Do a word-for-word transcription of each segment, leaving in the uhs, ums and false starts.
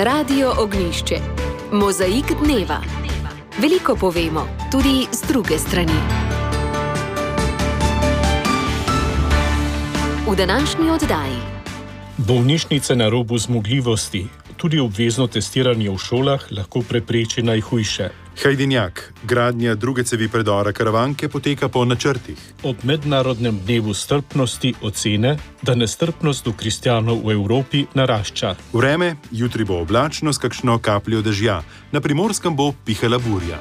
Radio Ognjišče. Mozaik dneva. Veliko povemo, tudi z druge strani. V današnji oddaji. Bolnišnice na robu zmogljivosti. Tudi obvezno testiranje v šolah lahko prepreči najhujše. Hajdinjak. Gradnja druge cevi predora Karavanke poteka po načrtih. Ob mednarodnem dnevu strpnosti ocene, da nestrpnost do kristjanov v Evropi narašča. Vreme, jutri bo oblačno s kakšno kapljo dežja. Na Primorskem bo pihala burja.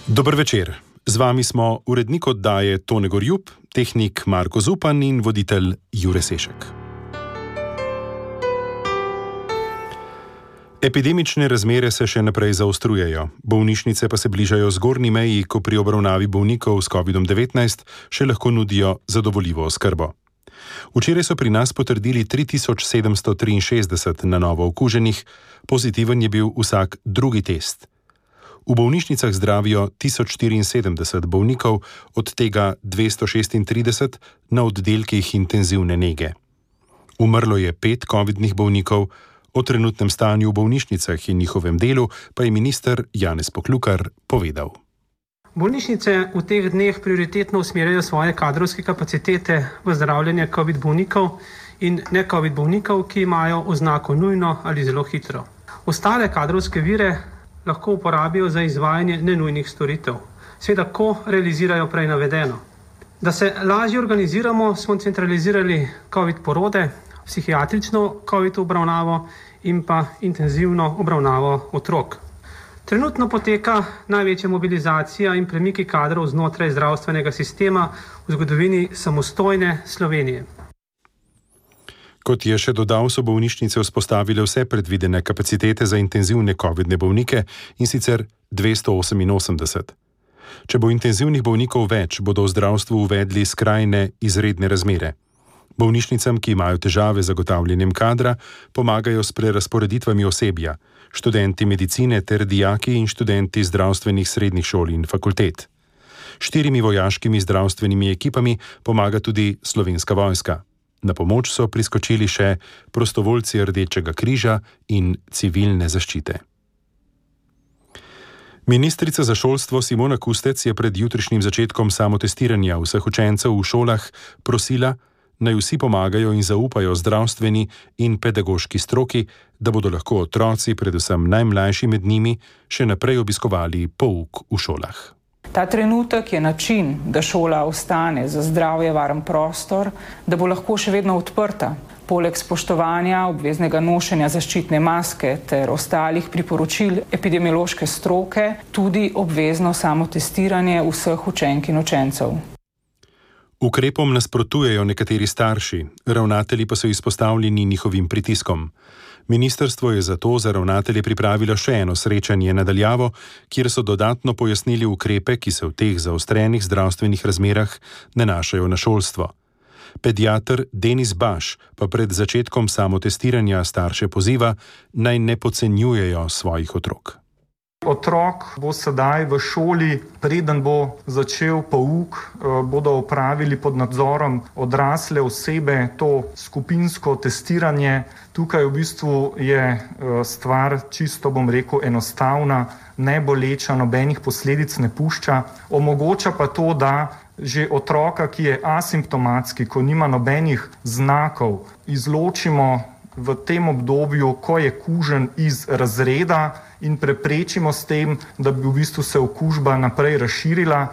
Dober večer. Z vami smo urednik oddaje Tone Gorjup, tehnik Marko Zupan in voditelj Jure Sešek. Epidemične razmere se še naprej zaostrujejo. Bolnišnice pa se bližajo zgornji meji, ko pri obravnavi bolnikov s kovidom devetnajst še lahko nudijo zadovoljivo oskrbo. Včeraj so pri nas potrdili tri tisoč sedemsto triinšestdeset na novo okuženih, pozitiven je bil vsak drugi test. V bolnišnicah zdravijo tisoč štiriinsedemdeset bolnikov, od tega dvesto šestintrideset na oddelkih intenzivne nege. Umrlo je pet covidnih bolnikov. O trenutnem stanju v bolnišnicah in njihovem delu pa je minister Janez Poklukar povedal. Bolnišnice v teh dneh prioritetno usmerjajo svoje kadrovske kapacitete v zdravljenje covid bolnikov in ne covid bolnikov, ki imajo oznako nujno ali zelo hitro. Ostale kadrovske vire lahko uporabijo za izvajanje nenujnih storitev. Seveda, ko realizirajo prej navedeno. Da se lažje organiziramo, smo centralizirali covid porode, psihiatrično covid obravnavo in pa intenzivno obravnavo otrok. Trenutno poteka največja mobilizacija in premiki kadrov znotraj zdravstvenega sistema v zgodovini samostojne Slovenije. Kot je še dodal, so bolnišnice vzpostavile vse predvidene kapacitete za intenzivne covidne bolnike, in sicer dvesto oseminosemdeset. Če bo intenzivnih bolnikov več, bodo v zdravstvu uvedli skrajne izredne razmere. Bolnišnicam, ki imajo težave z zagotavljanjem kadra, pomagajo s prerazporeditvami osebja, študenti medicine ter dijaki in študenti zdravstvenih srednjih šol in fakultet. Štirimi vojaškimi zdravstvenimi ekipami pomaga tudi Slovenska vojska. Na pomoč so priskočili še prostovoljci Rdečega križa in civilne zaščite. Ministrica za šolstvo Simona Kustec je pred jutrišnjim začetkom samotestiranja vseh učencev v šolah prosila, naj vsi pomagajo in zaupajo zdravstveni in pedagoški stroki, da bodo lahko otroci, predvsem najmlajši med njimi, še naprej obiskovali pouk v šolah. Ta trenutek je način, da šola ostane za zdravje varen prostor, da bo lahko še vedno odprta. Poleg spoštovanja obveznega nošenja zaščitne maske ter ostalih priporočil epidemiološke stroke, tudi obvezno samotestiranje vseh učenk in učencev. Ukrepom nasprotujejo nekateri starši, ravnatelji pa so izpostavljeni njihovim pritiskom. Ministrstvo je zato za ravnatelje pripravilo še eno srečanje na daljavo, kjer so dodatno pojasnili ukrepe, ki se v teh zaostrenih zdravstvenih razmerah nanašajo na šolstvo. Pediater Denis Baš pa pred začetkom samotestiranja starše poziva, naj ne podcenjujejo svojih otrok. Otrok bo sedaj v šoli, preden bo začel pouk, bodo opravili pod nadzorom odrasle osebe to skupinsko testiranje. Tukaj v bistvu je stvar čisto, bom rekel, enostavna, ne boleča, nobenih posledic ne pušča. Omogoča pa to, da že otroka, ki je asimptomatski, ko nima nobenih znakov, izločimo v tem obdobju, ko je kužen iz razreda in preprečimo s tem, da bi v bistvu se okužba naprej razširila.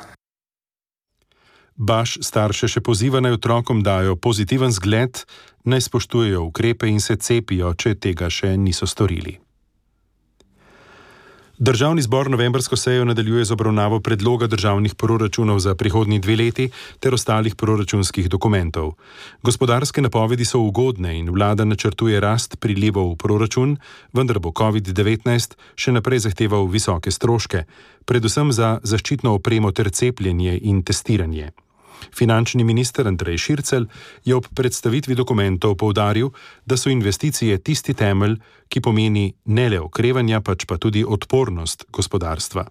Baš starše še poziva, naj otrokom dajo pozitiven zgled, naj spoštujejo ukrepe in se cepijo, če tega še niso storili. Državni zbor novembrsko sejo nadaljuje z obravnavo predloga državnih proračunov za prihodnji dve leti ter ostalih proračunskih dokumentov. Gospodarske napovedi so ugodne in vlada načrtuje rast prilivov v proračun, vendar bo covid devetnajst še naprej zahteval visoke stroške, predvsem za zaščitno opremo ter cepljenje in testiranje. Finančni minister Andrej Šircelj je ob predstavitvi dokumentov poudaril, da so investicije tisti temelj, ki pomeni ne le okrevanja, pač pa tudi odpornost gospodarstva.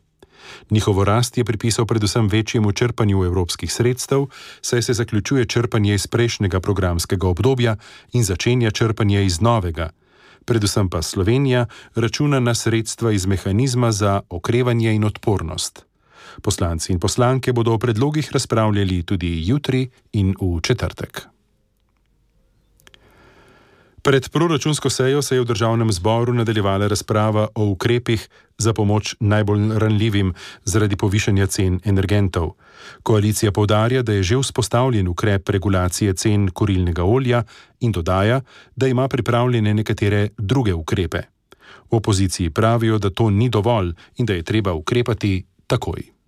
Njihovo rast je pripisal predvsem večjemu črpanju evropskih sredstev, saj se zaključuje črpanje iz prejšnjega programskega obdobja in začenja črpanje iz novega. Predvsem pa Slovenija računa na sredstva iz mehanizma za okrevanje in odpornost. Poslanci in poslanke bodo o predlogih razpravljali tudi jutri in v četrtek. Pred proračunsko sejo se je v državnem zboru nadaljevala razprava o ukrepih za pomoč najbolj ranljivim zaradi povišanja cen energentov. Koalicija poudarja, da je že vzpostavljen ukrep regulacije cen kurilnega olja in dodaja, da ima pripravljene nekatere druge ukrepe. V opoziciji pravijo, da to ni dovolj in da je treba ukrepati takoj.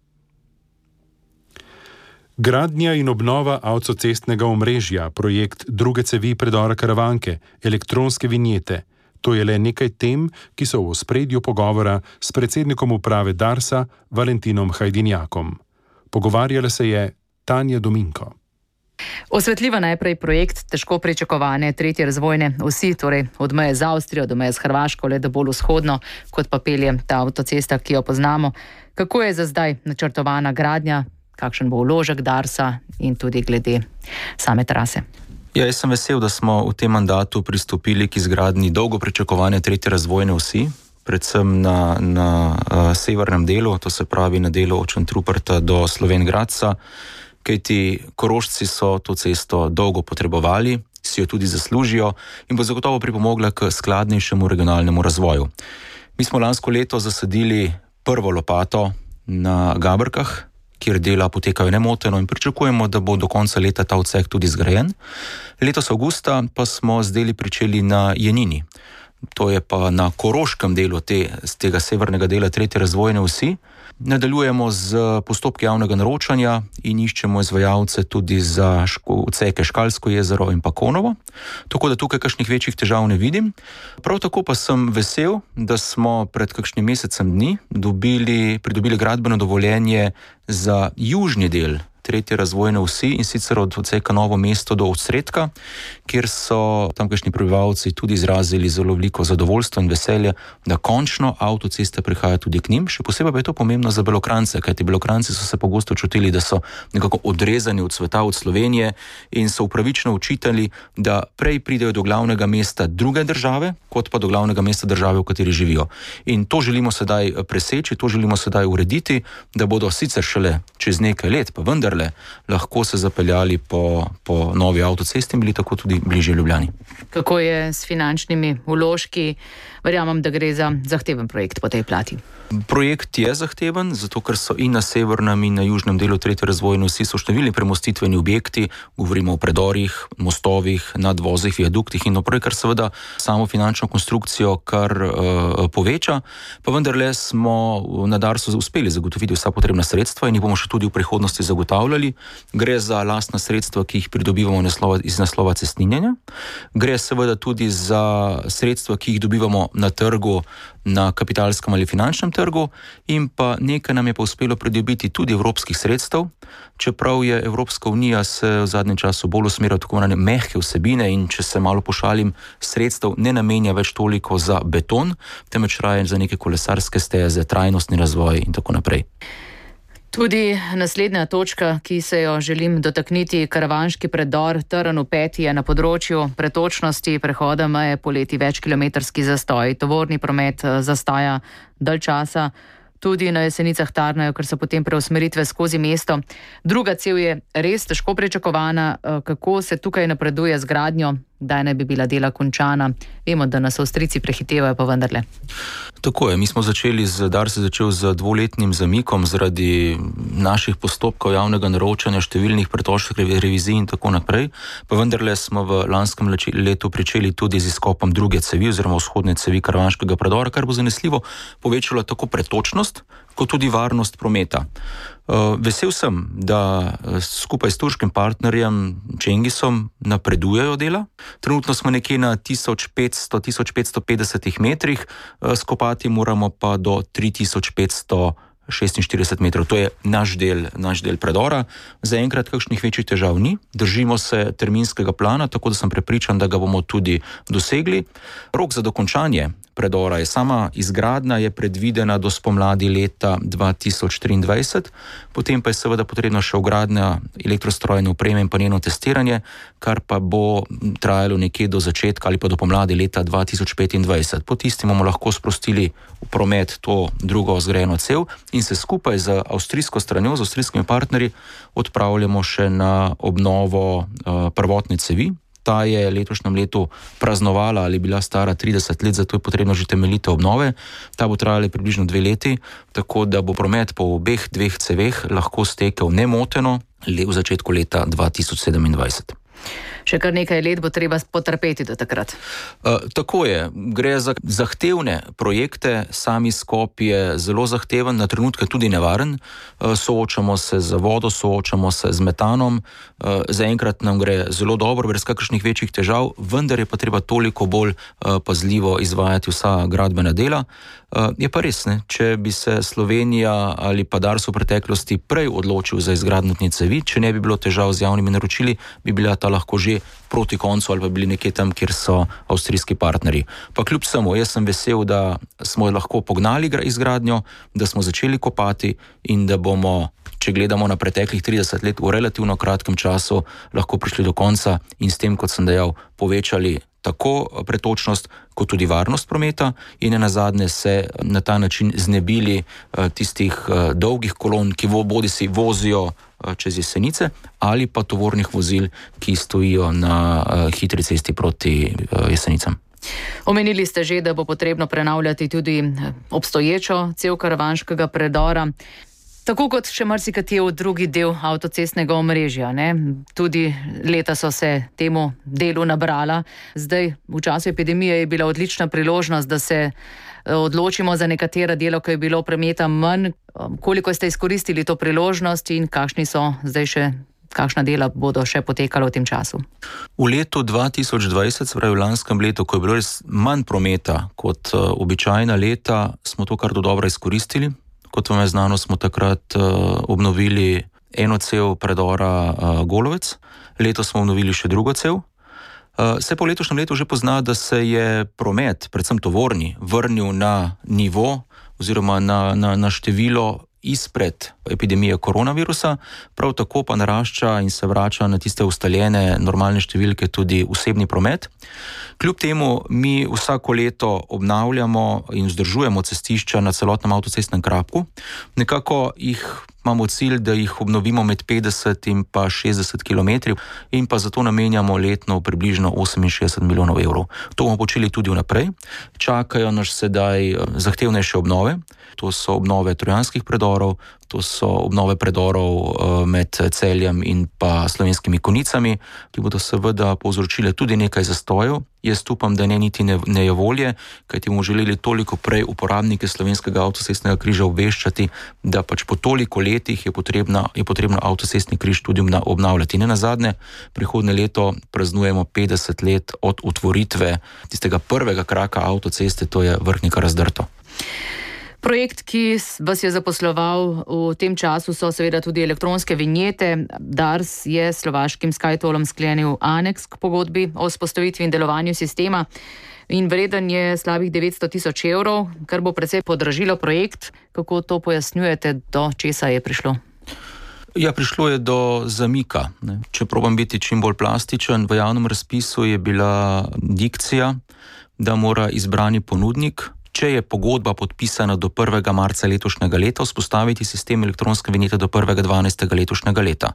Gradnja in obnova avtocestnega omrežja, projekt druge cevi predora Karavanke, elektronske vinjete. To je le nekaj tem, ki so v ospredju pogovora s predsednikom uprave Darsa, Valentinom Hajdinjakom. Pogovarjala se je Tanja Dominko. Osvetljiva najprej projekt težko pričakovane tretje razvojne osi, torej od meje z Avstrijo do meje z Hrvaško, le da bolj vzhodno, kot pa pelje ta avtocesta, ki jo poznamo. Kako je za zdaj načrtovana gradnja? Kakšen bo vložek Darsa in tudi glede same trase? Ja, jaz sem vesel, da smo v tem mandatu pristopili k izgradnji dolgo pričakovane tretje razvojne osi, predvsem na, na uh, severnem delu, to se pravi na delu od Šentruperta do Slovenj Gradca, kajti Korošci so to cesto dolgo potrebovali, si jo tudi zaslužijo in bo zagotovo pripomogla k skladnejšemu regionalnemu razvoju. Mi smo lansko leto zasadili prvo lopato na Gabrkah, kjer dela potekajo nemoteno in pričakujemo, da bo do konca leta ta odsek tudi zgrajen. Letos avgusta pa smo z deli pričeli na Jenini. To je pa na koroškem delu te, z tega severnega dela tretje razvojne osi. Nadaljujemo z postopki javnega naročanja in iščemo izvajalce tudi za ško, odseke Škalsko jezero in pa Konovo. Tako da tukaj kakšnih večjih težav ne vidim. Prav tako pa sem vesel, da smo pred kakšnim mesecem dni dobili, pridobili gradbeno dovoljenje za južni del tretje razvojne osi in sicer od odseka Novo mesto do Osredka, kjer so tamkajšnji prebivalci tudi izrazili zelo veliko zadovoljstvo in veselje, da končno avtocesta prihaja tudi k njim. Še posebej pa je to pomembno za Belokranjce, kajti Belokranjci so se pogosto čutili, da so nekako odrezani od sveta, od Slovenije in so upravičeno učitali, da prej pridejo do glavnega mesta druge države, kot pa do glavnega mesta države, v kateri živijo. In to želimo sedaj preseči, to želimo sedaj urediti, da bodo sicer šele čez nekaj let, pa vendar lahko se zapeljali po, po novi avtocesti in bili tako tudi bližje Ljubljani. Kako je s finančnimi vložki? Verjamem, da gre za zahteven projekt po tej plati. Projekt je zahteven, zato ker so in na severnem in na južnem delu tretje razvojne osi so številni premostitveni objekti, govorimo o predorih, mostovih, nadvozih, viaduktih in naprej, kar seveda samo finančno konstrukcijo kar uh, poveča, pa vendarle smo na Darsu uspeli zagotoviti vsa potrebna sredstva in jih bomo še tudi v prihodnosti zagotavljali. Gre za lastna sredstva, ki jih pridobivamo naslova, iz naslova cestninjenja. Gre seveda tudi za sredstva, ki jih dobivamo na trgu, na kapitalskem ali finančnem trgu in pa nekaj nam je pa uspelo pridobiti tudi evropskih sredstev, čeprav je Evropska unija se v zadnjem času bolj usmerila tako imenovane mehke vsebine in če se malo pošalim, sredstev ne namenja več toliko za beton, temveč raje za neke kolesarske steze, trajnostni razvoj in tako naprej. Tudi naslednja točka, ki se jo želim dotakniti, karavanški predor Trn v Peti je na področju pretočnosti prehoda meje poleti večkilometrski zastoj. Tovorni promet zastaja dalj časa, tudi na Jesenicah tarnajo, ker so potem preusmeritve skozi mesto. Druga cev je res težko pričakovana. Kako se tukaj napreduje z gradnjo? Kdaj naj bi bila dela končana? Vemo, da nas Avstrijci prehitevajo, pa vendarle. Tako je, mi smo začeli, z, Dars je začel z dvoletnim zamikom zaradi naših postopkov javnega naročanja, številnih pretočnih revizij in tako naprej, pa vendarle smo v lanskem letu pričeli tudi z izkopom druge cevi oziroma vzhodne cevi karavanškega predora, kar bo zanesljivo povečalo tako pretočnost, kot tudi varnost prometa. Vesel sem, da skupaj s turškim partnerjem Cengisom napredujejo dela. Trenutno smo nekje na tisoč petsto do tisoč petsto petdeset metrih, skopati moramo pa do tri tisoč petsto šestinštirideset metrov. To je naš del, naš del predora. Zaenkrat kakšnih večjih težav ni. Držimo se terminskega plana, tako da sem prepričan, da ga bomo tudi dosegli. Rok za dokončanje predora je sama izgradnja je predvidena do spomladi leta dva tisoč triindvajset, potem pa je seveda potrebno še vgradnja elektrostrojne opreme in pa njeno testiranje, kar pa bo trajalo nekje do začetka ali pa do pomladi leta dva tisoč petindvajset. Po tistem bomo lahko sprostili v promet to drugo zgrajeno cev in se skupaj z avstrijsko stranjo, z avstrijskimi partnerji odpravljamo še na obnovo uh, prvotne cevi. Ta je letošnjem letu praznovala ali bila stara trideset let, zato je potrebno že temeljite obnove. Ta bo trajala približno dve leti, tako da bo promet po obeh dveh ceveh lahko stekel nemoteno le v začetku leta dva tisoč sedemindvajset. Še kar nekaj let bo treba potrpeti do takrat. Uh, tako je. Gre za zahtevne projekte, sami skop je zelo zahteven, na trenutke tudi nevaren. Uh, soočamo se z vodo, soočamo se z metanom. Uh, zaenkrat nam gre zelo dobro, brez kakršnih večjih težav, vendar je pa treba toliko bolj uh, pazljivo izvajati vsa gradbena dela. Uh, je pa res, ne? Če bi se Slovenija ali pa Dars v preteklosti prej odločil za izgradnjo te cevi, če ne bi bilo težav z javnimi naročili, bi bila ta lahko že proti koncu ali pa bili nekje tam, kjer so avstrijski partnerji. Pa kljub samo, jaz sem vesel, da smo lahko pognali izgradnjo, da smo začeli kopati in da bomo, če gledamo na preteklih trideset let, v relativno kratkem času lahko prišli do konca in s tem, kot sem dejal, povečali tako pretočnost, kot tudi varnost prometa in nazadnje se na ta način znebili tistih dolgih kolon, ki bodi si vozijo čez Jesenice ali pa tovornih vozil, ki stojijo na hitri cesti proti Jesenicam. Omenili ste že, da bo potrebno prenavljati tudi obstoječo cev karavanškega predora. Tako kot še marsikateri drugi del avtocestnega omrežja, ne? Tudi leta so se temu delu nabrala. Zdaj, v času epidemije je bila odlična priložnost, da se odločimo za nekatera dela, ko je bilo prometa manj. Koliko ste izkoristili to priložnost in kakšni so zdaj še, kakšna dela bodo še potekala v tem času? V letu dva tisoč dvajset, se pravi v lanskem letu, ko je bilo res manj prometa kot uh, običajna leta, smo to kar do dobro izkoristili. Kot vam je znano, smo takrat uh, obnovili eno cev predora uh, Golovec, letos smo obnovili še drugo cev. Uh, se po letošnjem letu že pozna, da se je promet, predvsem tovorni, vrnil na nivo oziroma na, na, na število izpred epidemije koronavirusa, prav tako pa narašča in se vrača na tiste ustaljene normalne številke tudi osebni promet. Kljub temu mi vsako leto obnavljamo in vzdržujemo cestišča na celotnem avtocestnem kraku. Nekako jih imamo cilj, da jih obnovimo med petdeset in pa šestdeset kilometrov in pa zato namenjamo letno približno oseminšestdeset milijonov evrov. To bomo počeli tudi vnaprej. Čakajo nas sedaj zahtevnejše obnove. To so obnove trojanskih predorov, to so obnove predorov med Celjem in pa Slovenskimi Konjicami, ki bodo seveda povzročile tudi nekaj zastojev. Jaz upam, da ne niti ne, ne je volje, kajti bomo želeli toliko prej uporabnike slovenskega avtocestnega križa obveščati, da pač po toliko letih je potrebno, je potrebno avtocestni križ tudi obnavljati. Ne nazadnje, prihodnje leto praznujemo petdeset let od otvoritve tistega prvega kraka avtoceste, to je Vrhnika-Razdrto. Projekt, ki vas je zaposloval v tem času, so seveda tudi elektronske vinjete. Dars je s slovaškim SkyTollom sklenil aneks k pogodbi o vzpostavitvi in delovanju sistema in vreden je slabih devetsto tisoč evrov, kar bo precej podražilo projekt. Kako to pojasnjujete, do česa je prišlo? Ja, prišlo je do zamika. Ne. Če probam biti čim bolj plastičen, v javnem razpisu je bila dikcija, da mora izbrani ponudnik, če je pogodba podpisana do prvega marca letošnjega leta, vzpostaviti sistem elektronske vinjete do prvega dvanajstega letošnjega leta.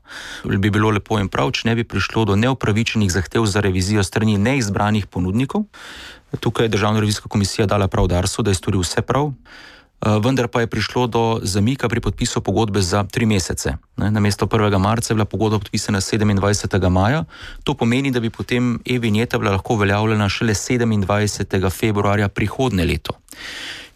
Bi bilo lepo in prav, če ne bi prišlo do neupravičenih zahtev za revizijo strani neizbranih ponudnikov. Tukaj je Državna revizijska komisija dala prav Darsu, da je storil vse prav, vendar pa je prišlo do zamika pri podpisu pogodbe za tri mesece. Namesto prvega marca je bila pogodba podpisana sedemindvajsetega maja. To pomeni, da bi potem e-vinjeta bila lahko uveljavljena šele sedemindvajsetega februarja prihodnje leto.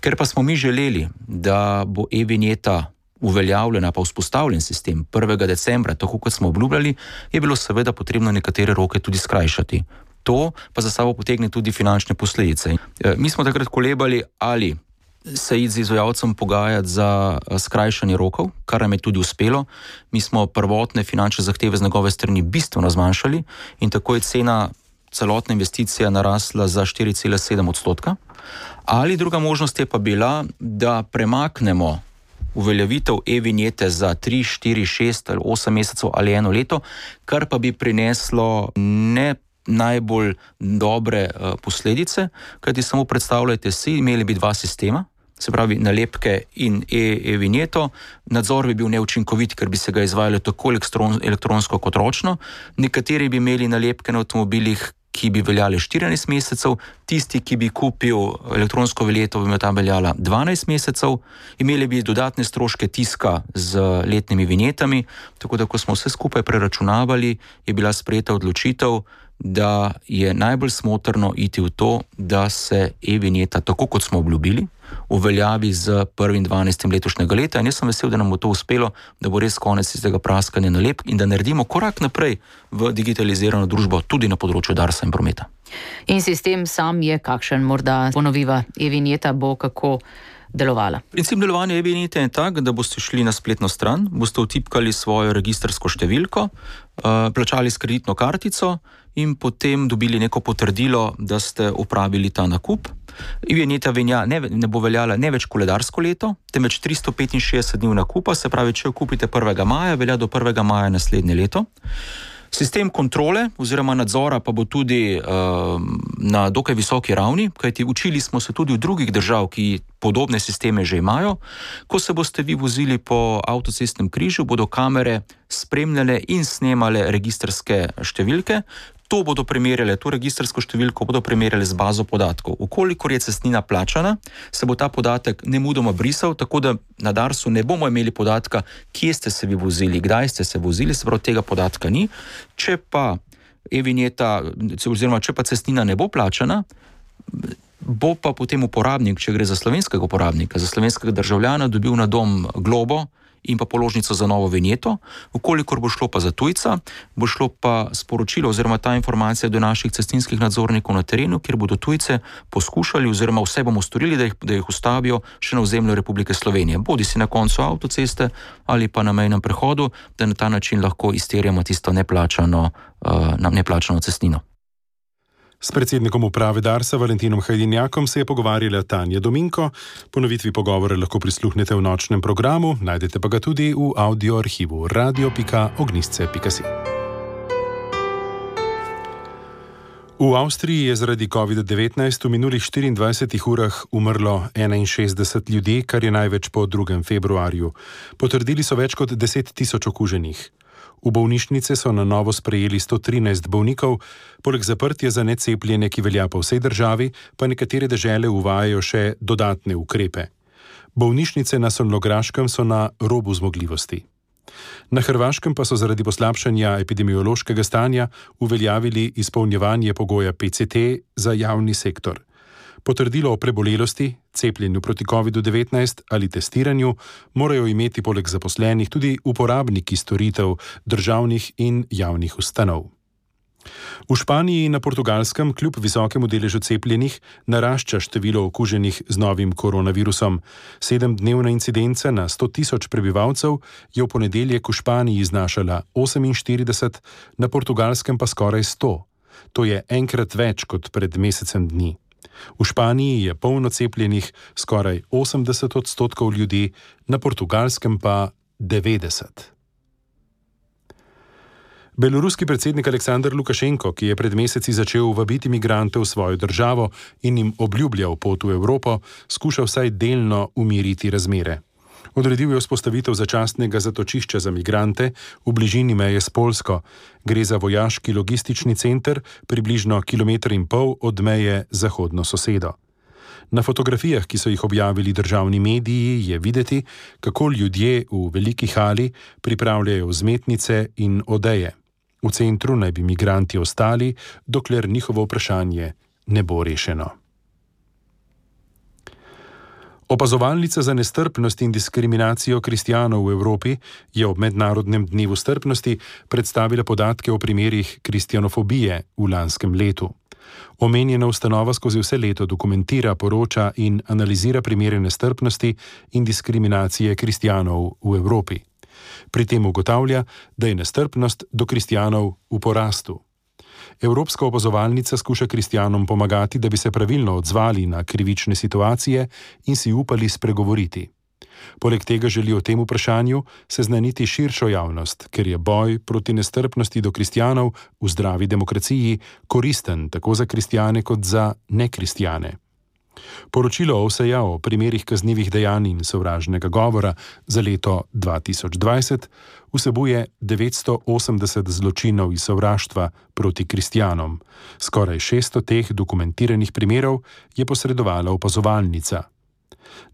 Ker pa smo mi želeli, da bo e-vinjeta uveljavljena pa vzpostavljen sistem prvega decembra, tako kot smo obljubljali, je bilo seveda potrebno nekatere roke tudi skrajšati. To pa za sabo potegne tudi finančne posledice. Mi smo takrat kolebali, ali se id z izvajalcem pogajati za skrajšanje rokov, kar nam je tudi uspelo. Mi smo prvotne finančne zahteve z njegove strani bistveno zmanjšali in tako je cena celotna investicija narasla za štiri cela sedem odstotka. Ali druga možnost je pa bila, da premaknemo uveljavitev e-vinjete za tri, štiri, šest ali osem mesecev ali eno leto, kar pa bi prineslo ne najbolj dobre uh, posledice, kajti samo predstavljajte si, imeli bi dva sistema, se pravi nalepke in e-vinjeto, nadzor bi bil neučinkovit, ker bi se ga izvajalo tako elektronsko kot ročno, nekateri bi imeli nalepke na avtomobilih, ki bi veljale štirinajst mesecev, tisti, ki bi kupil elektronsko vinjeto, bi ta veljala dvanajst mesecev, imeli bi dodatne stroške tiska z letnimi vinjetami, tako da ko smo vse skupaj preračunavali, je bila sprejeta odločitev, da je najbolj smotrno iti v to, da se e-vinjeta, tako kot smo obljubili, uveljavi z prvim dvanajstim letošnjega leta, in jaz sem vesel, da nam bo to uspelo, da bo res konec iz tega praskanja nalepk in da naredimo korak naprej v digitalizirano družbo tudi na področju Darsa in prometa. In sistem sam je kakšen, morda ponoviva, e-vinjeta bo kako delovala? Princip delovanja e-vinjete je tak, da boste šli na spletno stran, boste vtipkali svojo registrsko številko, plačali s kreditno kartico in potem dobili neko potrdilo, da ste opravili ta nakup. E-vinjeta ne, ne bo veljala ne več koledarsko leto, temveč tristo petinšestdeset dni nakupa, se pravi, če jo kupite prvega maja, velja do prvega maja naslednje leto. Sistem kontrole oziroma nadzora pa bo tudi uh, na dokaj visoki ravni, kajti učili smo se tudi v drugih držav, ki podobne sisteme že imajo. Ko se boste vi vozili po avtocestnem križu, bodo kamere spremljale in snemale registrske številke. To bodo primerjale, to registrsko številko bodo primerjale z bazo podatkov. Ukolikor je cestnina plačana, se bo ta podatek nemudoma brisal, tako da na Darsu ne bomo imeli podatka, kje ste se vi vozili, kdaj ste se vozili, se pravi, tega podatka ni. Če pa e-vinjeta, oziroma če pa cestnina ne bo plačana, bo pa potem uporabnik, če gre za slovenskega uporabnika, za slovenskega državljana, dobil na dom globo in pa položnico za novo vinjeto. Ukolikor bo šlo pa za tujca, bo šlo pa sporočilo oziroma ta informacija do naših cestninskih nadzornikov na terenu, kjer bodo tujce poskušali oziroma vse bomo storili, da jih, da jih ustavijo še na ozemlju Republike Slovenije. Bodi si na koncu avtoceste ali pa na mejnem prehodu, da na ta način lahko izterjamo tisto neplačano, uh, neplačano cestnino. S predsednikom uprave Darsa Valentinom Hajdinjakom se je pogovarjala Tanja Dominko. Ponovitvi pogovora lahko prisluhnete v nočnem programu, najdete pa ga tudi v audio arhivu radio pika ognjisce pika si. V Avstriji je zaradi covid devetnajst v minulih štiriindvajsetih urah umrlo enainšestdeset ljudi, kar je največ po drugem februarju. Potrdili so več kot deset tisoč okuženih. V bolnišnice so na novo sprejeli sto trinajst bolnikov, poleg zaprtja za necepljene, ki velja po vsej državi, pa nekatere dežele uvajajo še dodatne ukrepe. Bolnišnice na Solnograškem so na robu zmogljivosti. Na Hrvaškem pa so zaradi poslabšanja epidemiološkega stanja uveljavili izpolnjevanje pogoja P C T za javni sektor. Potrdilo o prebolelosti, cepljenju proti covid devetnajst ali testiranju morajo imeti poleg zaposlenih tudi uporabniki storitev državnih in javnih ustanov. V Španiji in na Portugalskem kljub visokemu deležu cepljenih narašča število okuženih z novim koronavirusom. Sedemdnevna incidenca na sto tisoč prebivalcev je v ponedeljek v Španiji znašala oseminštirideset, na Portugalskem pa skoraj sto. To je enkrat več kot pred mesecem dni. V Španiji je polno cepljenih skoraj osemdeset odstotkov ljudi, na Portugalskem pa devetdeset. Beloruski predsednik Aleksandar Lukašenko, ki je pred meseci začel vabiti migrante v svojo državo in jim obljubljal pot v Evropo, skuša vsaj delno umiriti razmere. Odredil je vzpostavitev začasnega zatočišča za migrante v bližini meje s Poljsko. Gre za vojaški logistični center, približno kilometer in pol od meje z zahodno sosedo. Na fotografijah, ki so jih objavili državni mediji, je videti, kako ljudje v veliki hali pripravljajo vzmetnice in odeje. V centru naj bi migranti ostali, dokler njihovo vprašanje ne bo rešeno. Opazovalnica za nestrpnost in diskriminacijo kristjanov v Evropi je ob mednarodnem dnevu strpnosti predstavila podatke o primerih kristjanofobije v lanskem letu. Omenjena ustanova skozi vse leto dokumentira, poroča in analizira primere nestrpnosti in diskriminacije kristjanov v Evropi. Pri tem ugotavlja, da je nestrpnost do kristjanov v porastu. Evropska opazovalnica skuša kristjanom pomagati, da bi se pravilno odzvali na krivične situacije in si upali spregovoriti. Poleg tega želi o tem vprašanju seznaniti širšo javnost, ker je boj proti nestrpnosti do kristjanov v zdravi demokraciji koristen tako za kristjane kot za nekristjane. Poročilo O S E-ja o primerih kaznivih dejanj in sovražnega govora za leto dva tisoč dvajset vsebuje devetsto osemdeset zločinov iz sovraštva proti kristjanom. Skoraj šeststo teh dokumentiranih primerov je posredovala opazovalnica.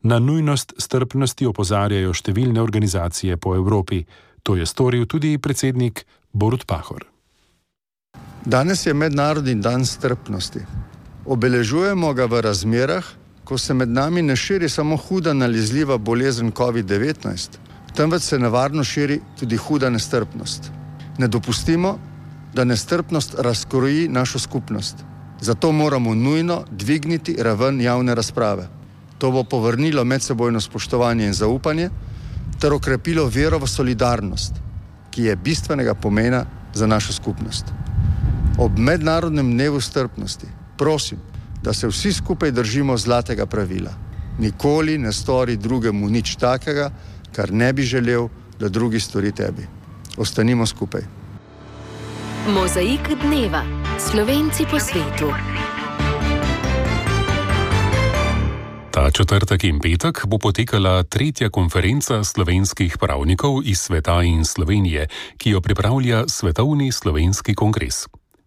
Na nujnost strpnosti opozarjajo številne organizacije po Evropi. To je storil tudi predsednik Borut Pahor. Danes je mednarodni dan strpnosti. Obeležujemo ga v razmerah, ko se med nami ne širi samo huda nalezljiva bolezen covid devetnajst, temveč se nevarno širi tudi huda nestrpnost. Ne dopustimo, da nestrpnost razkroji našo skupnost. Zato moramo nujno dvigniti raven javne razprave. To bo povrnilo medsebojno spoštovanje in zaupanje ter okrepilo vero v solidarnost, ki je bistvenega pomena za našo skupnost. Ob mednarodnem dnevu strpnosti prosim, da se vsi skupaj držimo zlatega pravila. Nikoli ne stori drugemu nič takega, kar ne bi želel, da drugi stori tebi. Ostanimo skupaj. Mozaik dneva. Slovenci po svetu. Ta četrtek in petek bo potekala tretja konferenca slovenskih pravnikov iz sveta in Slovenije, ki jo pripravlja Svetovni slovenski kongres.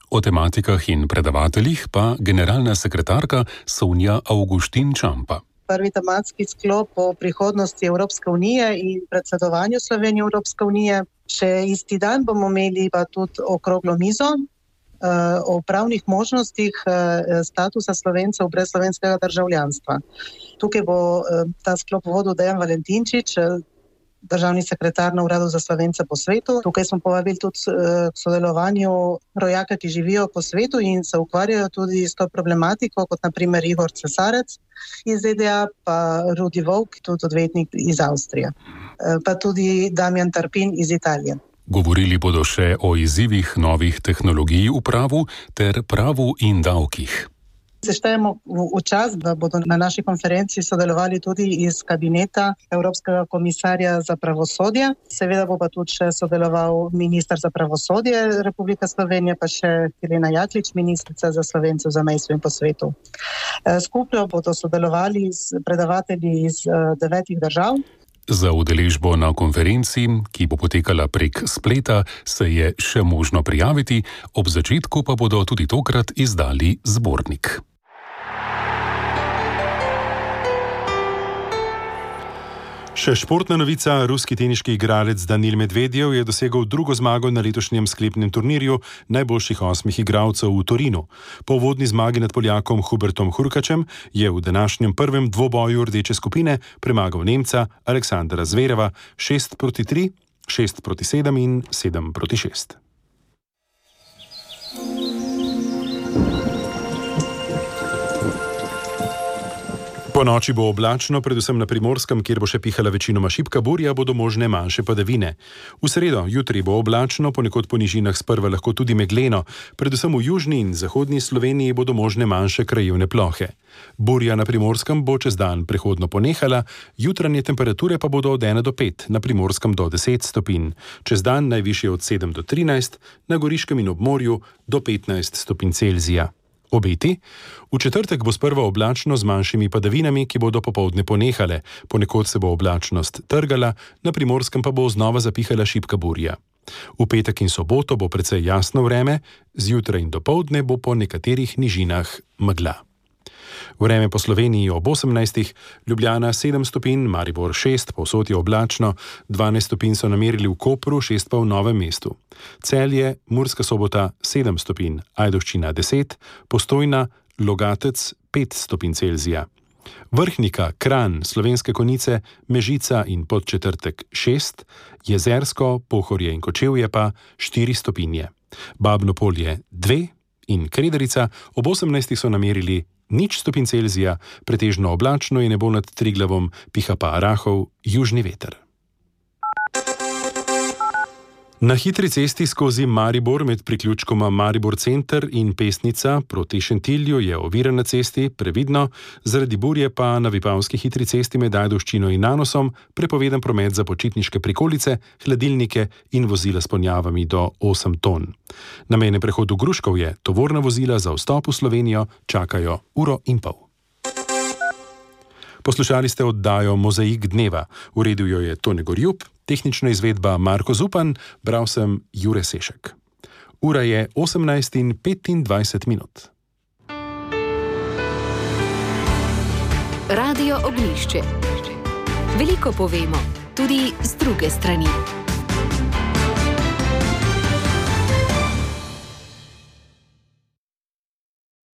O tematikah in predavateljih pa generalna sekretarka Sonja Avguštin Čampa. Prvi tematski sklop o prihodnosti Evropske unije in predsedovanju Slovenije Evropske unije. Še isti dan bomo imeli pa tudi okroglo mizo uh, o pravnih možnostih uh, statusa Slovencev brez slovenskega državljanstva. Tukaj bo uh, ta sklop vodil Dejan Valentinčič, uh, državni sekretar na Uradu za Slovence po svetu. Tukaj smo povabili tudi k sodelovanju rojaka, ki živijo po svetu in se ukvarjajo tudi s to problematiko, kot na primer Igor Cesarec iz Z D A, pa Rudi Volk, tudi odvetnik iz Avstrije, pa tudi Damjan Tarpin iz Italije. Govorili bodo še o izzivih novih tehnologij v pravu ter pravu in davkih. Seštejemo v čas, da bodo na naši konferenci sodelovali tudi iz kabineta Evropskega komisarja za pravosodje. Seveda bo pa tudi še sodeloval minister za pravosodje Republike Slovenije, pa še Helena Jaklič, ministrica za Slovence v zamejstvu in po svetu. Skupaj bodo sodelovali predavatelji iz devetih držav. Za udeležbo na konferenci, ki bo potekala prek spleta, se je še možno prijaviti, ob začetku pa bodo tudi tokrat izdali zbornik. Še športna novica, ruski teniški igralec Danil Medvedjev je dosegel drugo zmago na letošnjem sklepnem turnirju najboljših osmih igralcev v Torinu. Po uvodni zmagi nad Poljakom Hubertom Hurkačem je v današnjem prvem dvoboju rdeče skupine premagal Nemca Aleksandra Zvereva šest proti tri, šest proti sedem in sedem proti šest. Po noči bo oblačno, predvsem na Primorskem, kjer bo še pihala večinoma šibka burja, bodo možne manjše padavine. V sredo, jutri bo oblačno, ponekod po nižinah sprva lahko tudi megleno, predvsem v južni in zahodni Sloveniji bodo možne manjše krajevne plohe. Burja na Primorskem bo čez dan prehodno ponehala, jutranje temperature pa bodo od ena do pet, na Primorskem do deset stopinj, čez dan najvišje od sedem do trinajst, na Goriškem in ob morju do petnajst stopinj Celzija. Obeti? V četrtek bo sprva oblačno z manjšimi padavinami, ki bodo popoldne ponehale, ponekod se bo oblačnost trgala, na Primorskem pa bo znova zapihala šibka burja. V petek in soboto bo precej jasno vreme, zjutraj in dopoldne bo po nekaterih nižinah megla. Vreme po Sloveniji ob osemnajstih, Ljubljana sedem stopinj, Maribor šest, povsod je oblačno, dvanajst stopinj so namerili v Kopru, šest pa v Novem mestu. Celje, Murska Sobota sedem stopinj, Ajdovščina deset, Postojna, Logatec pet stopinj Celzija. Vrhnika, Kranj, Slovenske Konjice, Mežica in Podčetrtek šest, Jezersko, Pohorje in Kočevje pa štiri stopinje. Babno Polje dve in Kredarica ob osemnajstih so namerili nič stopinj Celzija, pretežno oblačno je nebo nad Triglavom, piha pa rahov južni veter. Na hitri cesti skozi Maribor med priključkoma Maribor Center in Pesnica proti Šentilju je ovira na cesti, previdno, zaradi burje pa na Vipavski hitri cesti med Ajdovščino in Nanosom prepovedan promet za počitniške prikolice, hladilnike in vozila s ponjavami do osem ton. Na mejnem prehodu Gruškovje tovorna vozila za vstop v Slovenijo čakajo uro in pol. Poslušali ste oddajo Mozaik dneva. Uredil jo je Tone Gorjup, tehnična izvedba Marko Zupan, bral sem Jure Sešek. Ura je osemnajst in petindvajset minut. Radio Ognjišče. Veliko povemo, tudi z druge strani.